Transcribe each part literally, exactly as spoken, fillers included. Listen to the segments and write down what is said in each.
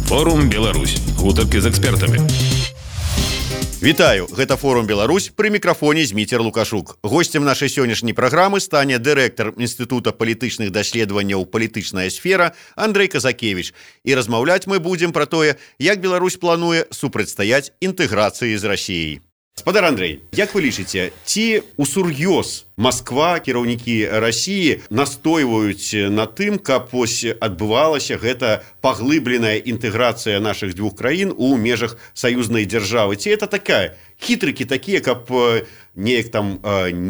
Форум Беларусь. Гутаркі з экспертамі. Вітаю, гэта Форум Беларусь, пры мікрафоне Зміцер Лукашук. Госцем нашай сённяшняй праграмы стане дырэктар Інстытута палітычных даследаванняў «Палітычная сфера» Андрэй Казакевіч. І размаўляць мы будзем пра тое, як Беларусь плануе супрацьстаяць інтэграцыі з Расіяй. Спадар Андрэй, як вы лічыце, ці усур'ёз Масква, кіраўнікі Расіі настойваюць на тым, каб вось адбывалася гэта паглыбленая інтэграцыя нашых двух краін у межах саюзнай дзяржавы? Ці это такая хітрыкі такія, каб неяк там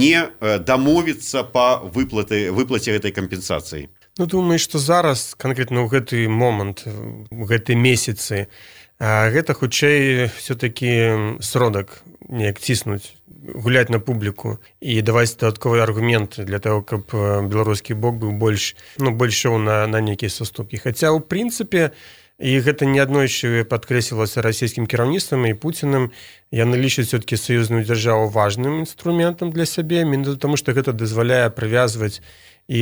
не дамовіцца па выплаты, выплаце гэтай кампенсацыі? Ну, думаю, што зараз, канкрэтна ў гэты момант, у гэты месяцы, гэта хутчэй все-таки сродак неяк ціснуць, гуляць на публіку і даваць дадатковыя аргументы для того, каб беларускі бок быў больш, ну, больш шоў на, на нейкія саступкі. Хаця, ў прынцыпе, і гэта неаднойчы падкрэслівалася расійскім кіраўніцтвам і Пуцінам, яны лічаць все-таки саюзную дзяржаву важным інструментам для сябе, менавіта таму, што гэта дазваляе прывязваць і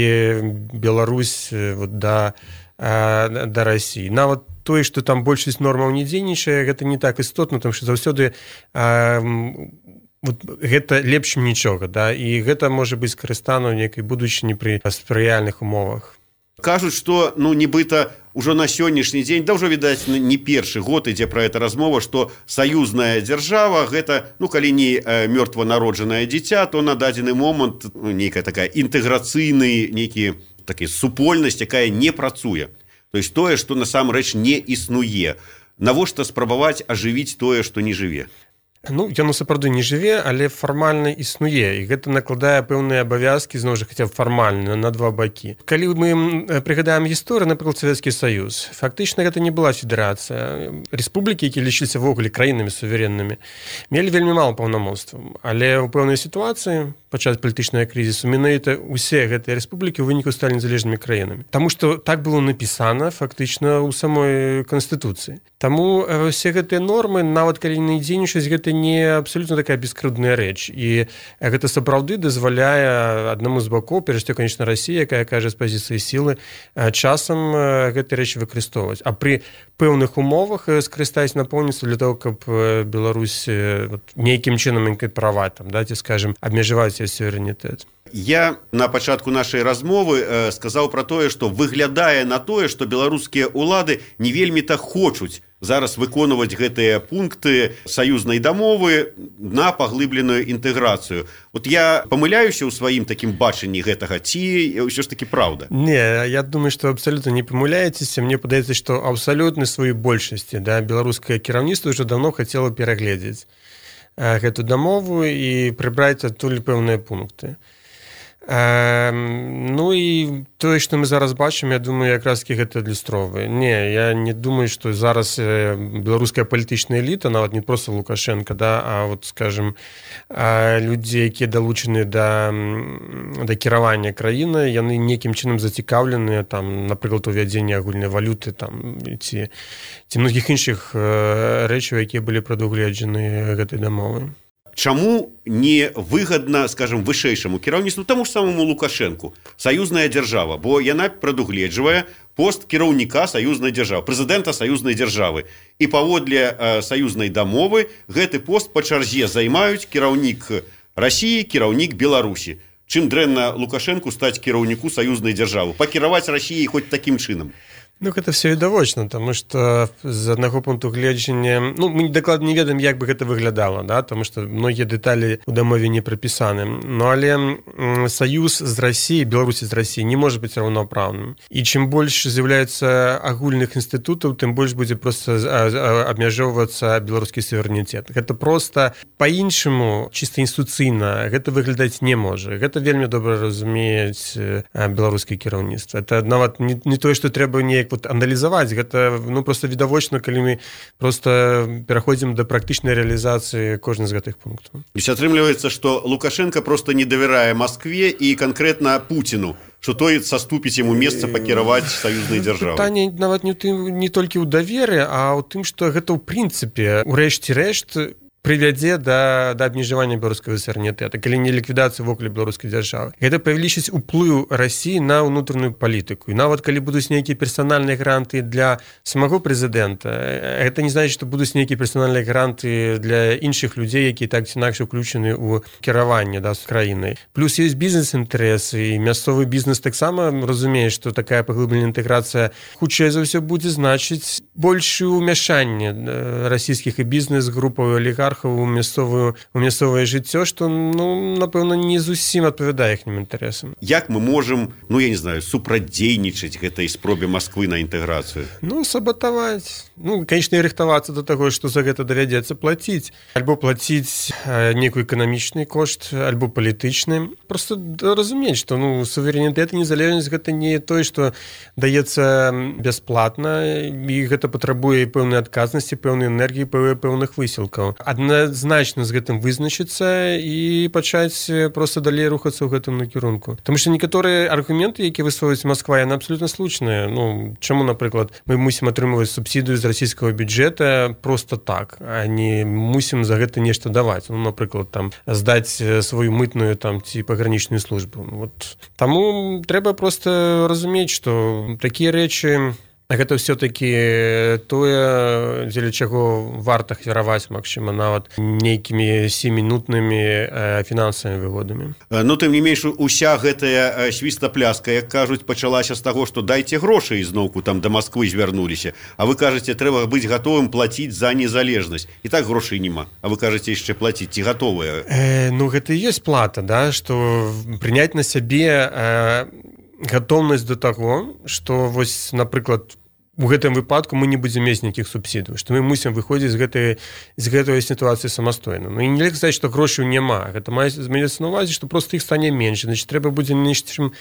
Беларусь вот, да, да Расіі. Нават тое, што там большасць нормаў не дзейнічае, гэта не так істотна, тому што заўсёды а, вот, гэта лепш нічога, да? І гэта можа быць скарыстана ў нейкай будучыні пры спрыяльных умовах. Кажуць, што ну, нібыта ўжо на сённяшні дзень, да ўжо, відаць, не першы год ідзе пра гэта размова, што саюзная дзяржава, гэта, ну, калі не мёртва народжанае дзіця, то на дадзены момант ну, нейкая такая інтэграцыйны, нейкі такі супольнасць, якая не працуе. То есть тое, што насамрэч не існуе. Навошта спрабаваць ажывіць тое, што не жыве? Ну, яно сапраўды не жыве, але фармальна існуе, і гэта накладае пэўныя абавязкі, зноў жа, хаця б фармальна, на два бакі. Калі мы прыгадаем гісторыю, напрыклад, Савецкі Саюз, фактычна гэта не была федэрацыя. Рэспублікі, якія лічыліся ввогуле краінамі суверэннымі, мелі вельмі мала паўнамоцтваў, але ў пэўнай сітуацыі, падчас палітычнага крызісу, менавіта ўсе гэтыя рэспублікі ў выніку сталі незалежнымі краінамі. Таму што так было напісана фактычна ў самой Канстытуцыі. Таму ўсе гэтыя нормы, нават калі не дзейнічаюць, гэта не абсолютно такая бескрыўдная рэч. І гэта сапраўды дазваляе аднаму з бакоў, перш за ўсё, конечно, Расія, якая кажа з пазіцыі сілы, часам гэты рэч выкарыстоўваць. А пры пэўных умовах скарыстаць напоўніцтва для того, каб Беларусь нейкім чынам інкарпараваць, там, да, ці, скажем, абмежаваць яе суверэнітэт. Я на пачатку нашай размовы э, сказаў пра тое, што выглядае на тое, што беларускія ўлады не вельмі-то хочуць зараз выконваць гэтыя пункты саюзнай дамовы на паглыбленую інтэграцыю. Вот я памыляюся ў сваім такім бачанні гэтага, ці ўсё ж такі праўда? Не, я думаю, што абсалютна не памыляецеся. Мне падаецца, што абсалютна сваёй большасці, да, беларускае кіраўніцтва ўжо даўно хацела перагледзець гэту дамову і прыбраць адтуль пэўныя пункты. Э, ну і тое, што мы зараз бачым, я думаю, якраз гэта адлюстроўвае. Не, я не думаю, што зараз беларуская палітычная эліта, нават не проста Лукашенко, да, а вот, скажем, людзі, якія далучаны да, да кіравання краіны, яны нейкім чынам зацікаўленыя, там, напрыклад, увядзенне агульнай валюты, там, ці, ці многіх іншых рэчаў, якія былі прадугледжаны гэтай дамовай. Чаму не выгадна, скажем, вышэйшаму кіраўніцтву, таму ж самому Лукашенку, саюзная дзяржава, бо яна прадугледжвае пост кіраўніка саюзнай дзяржавы, прэзідэнта саюзнай дзяржавы. І паводле э, саюзнай дамовы гэты пост па чарзе займаюць кіраўнік Расіі, кіраўнік Беларусі. Чым дрэнна Лукашенку стаць кіраўніку саюзнай дзяржавы? Пакіраваць Расіяй хоць такім чынам? Ну, гэта все відавочна, тому што з аднаго пункту гледжання, ну, мы дакладна не ведаем, як бы гэта выглядала, да, тому што многія дэталі ў дамове не прапісаны. Ну, але саюз з Расіяй, Беларусі з Расіяй не можа быць раўнапраўным. І чым больш з'яўляецца агульных інстытутаў, тым больш будзе проста абмяжоўвацца беларускі суверэнітэт. Гэта проста па-іншаму, чыста інстытуцыйна, гэта выглядаць не можа. Гэта вельмі добра разумеюць беларускае кіраўніцтва. Это нават не, не тое, што трэба неяк вот аналізаваць, гэта ну, просто відавочна, калі мы просто пераходзім да практычнай рэалізацыі кожны з гэтых пунктаў. То есть атрымліваецца, што Лукашенко просто не давярае Маскве і канкрэтна Пуціну, што той саступіць яму месца пакіраваць саюзнай дзяржавай. Пытанне нават не, тым, не толькі ў даверы, а ў тым, што гэта ў прынцыпе, у рэшце рэшт, прывядзе да, да абмежавання беларускага суверэнітэта, калі не ліквідацыі вокруг беларускай дзяржавы. Гэта павялічыць уплыў Расіі на ўнутраную палітыку. І нават калі будуць нейкія персанальныя гранты для самого прэзідэнта, гэта не значыць, што будуць нейкія персанальныя гранты для іншых людзей, якія так ці інакш уключаны ў кіраванне, да, з краінай. Плюс ёсць бізнес-інтарэсы, і мясцовы бізнес таксама разумее, што такая паглыбленая інтэграцыя хутчэй за ўсё будзе значыць большее ўмяшанне расійскіх і бізнес-групаў олігархаў у мясцовую у мясцовае жыццё, што, ну, напэўна, не зусім адпавядае іхнім інтарэсам. Як мы можам, ну, я не знаю, супрадзейнічаць гэтай спробе Масквы на інтэграцыю? Ну, сабатаваць. Ну, канечне, рыхтавацца да таго, што за гэта давядзецца плаціць. Альбо плаціць нейкі эканамічны кошт, альбо палітычны. Просто разумець, што, ну, суверэнітэт і незалежнасць гэта не тое, што даецца бясплатна, і гэта патрабуе пэўнай адказнасці, пэўнай энергіі, пэўных высілкаў. Адназначна з гэтым вызначыцца і пачаць проста далей рухацца ў гэтым накірунку. Таму што некаторыя аргументы, якія высовваюць Масква, яны абсалютна слушныя. Ну, чаму, напрыклад, мы мусім атрымліваць субсідыю з расійскага бюджэта проста так, а не мусім за гэта нешта даваць. Ну, напрыклад, там здаць сваю мытную там ці пагранічную службу. Вот. Таму трэба проста разумець, што такія рэчы гэта ўсё-такі тое, дзеля чаго варта ахвяраваць, магчыма, нават нейкімі сямінутнымі фінансавымі выгодамі. Ну, тым не менш, уся гэтая свістапляска, як кажуць, пачалася з таго, што дайце грошы, і зноўку там да Масквы звярнуліся. А вы кажаце, трэба быць гатовым плаціць за незалежнасць. І так грошай няма. А вы кажаце, яшчэ плаціць. Ці гатовыя? Э, ну, гэта і ёсць плата, да, што прыняць на сябе э, гатоўнасць да таго, што, вось, напрыклад, у гэтым выпадку мы не будзем мець нейкіх субсідый, што мы мусім выходзіць з гэтай, з гэтай сітуацыі самастойна. Ну, і нельга сказаць, што грошаў няма. Гэта мае змяняцца на ўвазе, што проста іх стане менш. Значит, трэба будзе нечым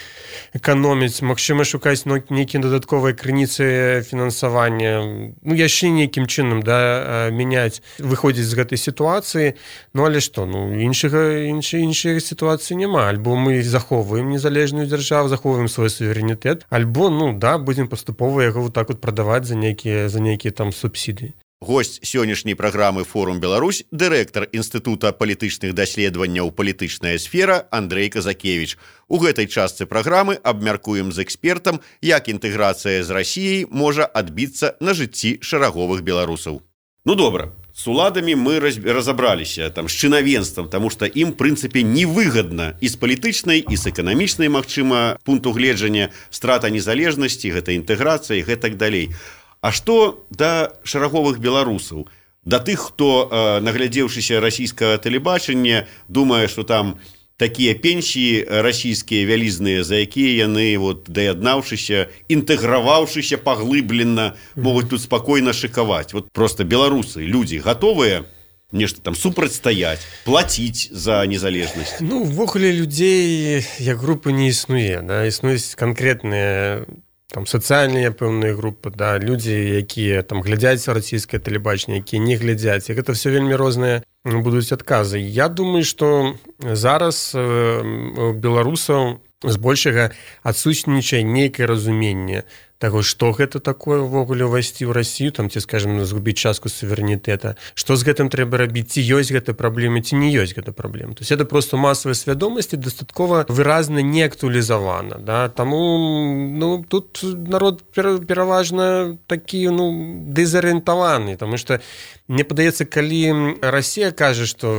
эканоміць, магчыма, шукаць нейкія дадатковыя крыніцы фінансавання, ну, яшчэ нейкім чынам, да, мяняць, выходзіць з гэтай сітуацыі. Ну, але што? Ну, іншага, іншай, іншай сітуацыі няма. Альбо мы захоўваем незалежную дзяржаву, захоўваем свой суверэнітэт, альбо, ну, да, будзем паступова яго вот так вот прадаваць за нейкія за нейкія там субсідыі. Госць сённяшняй праграмы «Форум Беларусь» дырэктар Інстытута палітычных даследаванняў «Палітычная сфера» Андрэй Казакевіч. У гэтай частцы праграмы абмяркуем з экспертам, як інтэграцыя з Расіяй можа адбіцца на жыцці шараговых беларусаў. Ну, добра. С уладамі мы разабраліся, там, з чынавенствам, таму што ім, прынцыпе, невыгадна і з палітычнай, і з эканамічнай, магчыма, пункту гледжання страта незалежнасці, гэта інтэграцыя і гэтак далей. А што да шараговых беларусаў? Да тых, хто, э, наглядзеўшыся расійскага тэлебачання, думае, што там такія пенсіі расійскія вялізныя, за якія яны, вот, даяднаўшыся, інтэграваўшыся паглыблена, могуць тут спакойна шыкаваць. Вот просто беларусы, людзі гатовыя нешта там супрацьстаяць, плаціць за незалежнасць? Ну, увогуле людзей як групы не існуе, да, існуюць канкрэтныя там сацыяльныя пэўныя групы, да, людзі, якія там глядзяць расійскае тэлебачанне, якія не глядзяць. І гэта все вельмі розныя будуць адказы. Я думаю, што зараз у беларусаў збольшага адсутнічае нейкае разуменне таго, што гэта такое ўвогуле ўвайсці ў Расію, там, ці, скажем, згубіць частку суверэнітэта, што з гэтым трэба рабіць, ці ёсць гэта праблема, ці не ёсць гэта праблема. То есть это просто масавая свядомасць і дастаткова выразна не актуалізавана, да? Таму, ну, тут народ пераважна такі, ну, дэзарыентаваны, таму што мне падаецца, калі Расія кажа, што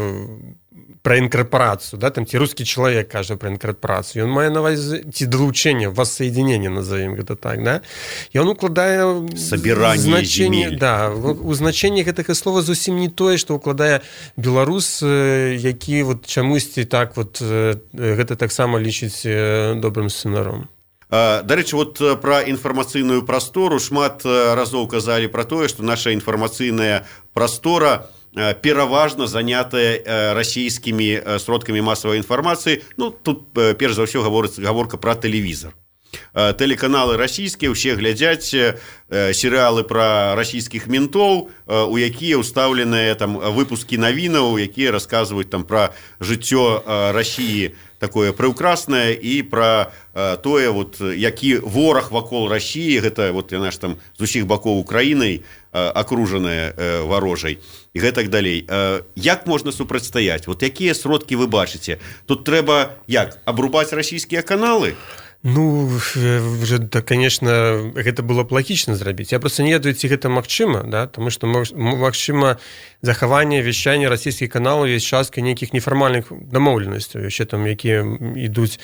пра інкарпорацыю, да, там ці рускі чалавек кажа пра інкарпорацыю, ён мае на ўвазе ці далучэнне, воссоединение, назовем гэта так, да, і он укладае сабіранне земель. Да, у значэнні гэтага слова зусім не тое, што укладае беларус, які вот чамусьці так вот гэта таксама лічыць добрым сцэнаром. Дарэчы, вот пра інфармацыйную прастору шмат разоў казалі пра тое, што наша інфармацыйная прастора пераважна занятая расійскімі сродкамі масавай інфармацыі. Ну, тут перш за ўсё гаворка пра тэлевізор. Тэлеканалы расійскія ўсе глядзяць серыялы пра расійскіх ментоў, у якія ўстаўленыя там выпускі навінаў, якія расказваюць там пра жыццё Расіі такое прыўкраснае і пра тое, вот, які вораг вакол Расіі, гэта вот яна ж там з усіх бакоў Украінай акружаная варожай і гэтак далей. Як можна супрацьстаяць? Вот якія сродкі вы бачыце? Тут трэба як абрубаць расійскія каналы? Ну, да, конечно, гэта было б лагічна зрабіць. Я просто не ведаю, ці гэта магчыма, да? Таму што магчыма захаванне вяшчання расійскіх каналаў ёсць частка нейкіх нефармальных дамоўленасцяў, яшчэ там, якія ідуць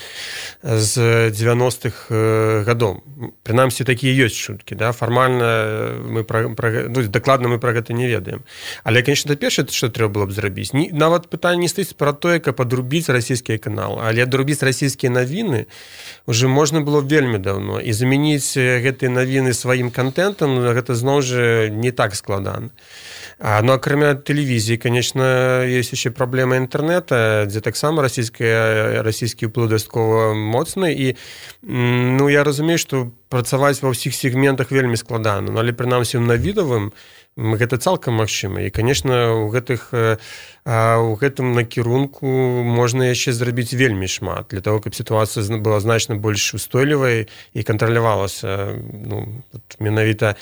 з дзевяностых гадоў. Прынамсі, такія ёсць чуткі, да? Фармальна мы пра, пра, ну, дакладна мы пра гэта не ведаем. Але, конечно, першае, што трэба было б зрабіць, не, нават пытанне не стаіць пра тое, каб адрубіць расійскія каналы, але адрубіць расійскія навіны уже можна было вельмі даўно, і замяніць гэтыя навіны сваім контентам, гэта зноў жа не так складана. А, ну, акрамя тэлевізіі, конечно, ёсць яшчэ праблема інтэрнэта, дзе таксама расійская, расійскі ўплыў дастаткова моцны, і ну, я разумею, што працаваць ва ўсіх сегментах вельмі складана, ну, але прынамсі ў навідавым гэта цалкам магчыма. І, конечно, у гэтых у гэтым накірунку можна яшчэ зрабіць вельмі шмат для того, каб сітуацыя была значна больш устойлівай і кантралявалася, ну, менавіта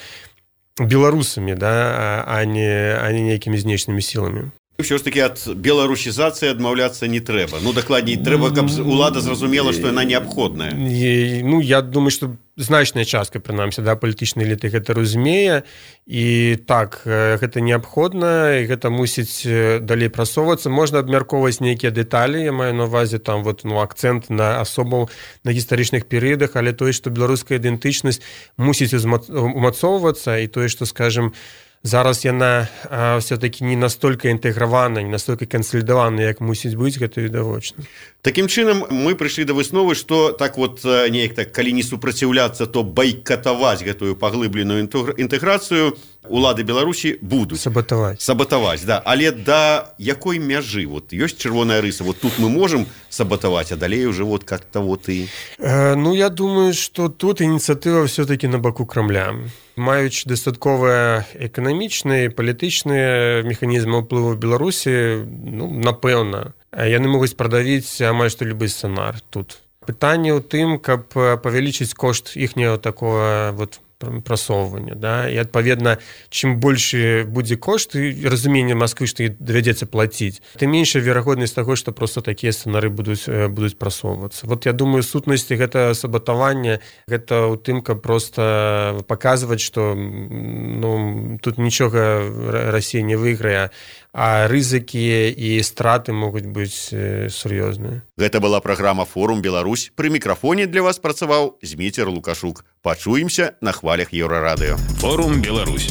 беларусамі, да, а не, а не нейкімі знешнімі сіламі. Ўсё ж таки ад беларусізацыі адмаўляцца не трэба. Ну, дакладней, трэба, каб улада зразумела, што яна неабходная. І, ну, я думаю, што значная частка, прынамсі, да, палітычнай эліты гэта разумее, і так, гэта неабходна, і гэта мусіць далей прасоўвацца. Можна абмяркоўваць нейкія дэталі, я маю на ўвазе там вот, ну, акцэнт на асобаў на гістарычных перыядах, але тое, што беларуская ідэнтычнасць мусіць умацоўвацца, і тое, што, скажем, зараз яна а, все-таки не настолько інтэгравана, не настолько кансалідавана, як мусіць быць, гэта відавочна. Такім чынам, мы прыйшлі да высновы, што так вот, неяк так, калі не супраціўляцца, то байкатаваць гэтую паглыбленую інтэграцыю улады Беларусі будуць. Сабатаваць. Сабатаваць, да. Але да якой мяжы? Вот ёсць чырвоная рыса, вот тут мы можам сабатаваць, а далей уже вот как-то вот і... Э, ну, я думаю, што тут ініцыятыва все-таки на баку Крамля. Маючы дастаткова эканамічныя, палітычныя механізмы ўплыву Беларусі, ну, напэўна, яны могуць прадавіць амаль што любы сцэнар тут. Пытанне ў тым, каб павялічыць кошт іхняго такого вот прасоўвання, да? І адпаведна, чым большы будзе кошт і разуменне Масквы, што давядзецца плаціць, тым меншая верагоднасць таго, што проста такія сцэнары будуць, будуць прасоўвацца. Вот я думаю, сутнасці гэта сабатаванне, гэта ў тым, каб проста паказваць, што ну, тут нічога Расія не выйграе, а рызыкі і страты могуць быць сур'ёзныя. Гэта была праграма «Форум Беларусь». Пры мікрафоне для вас працаваў Зміцер Лукашук. Пачуемся на хвалях Еўрарадыё. «Форум Беларусь».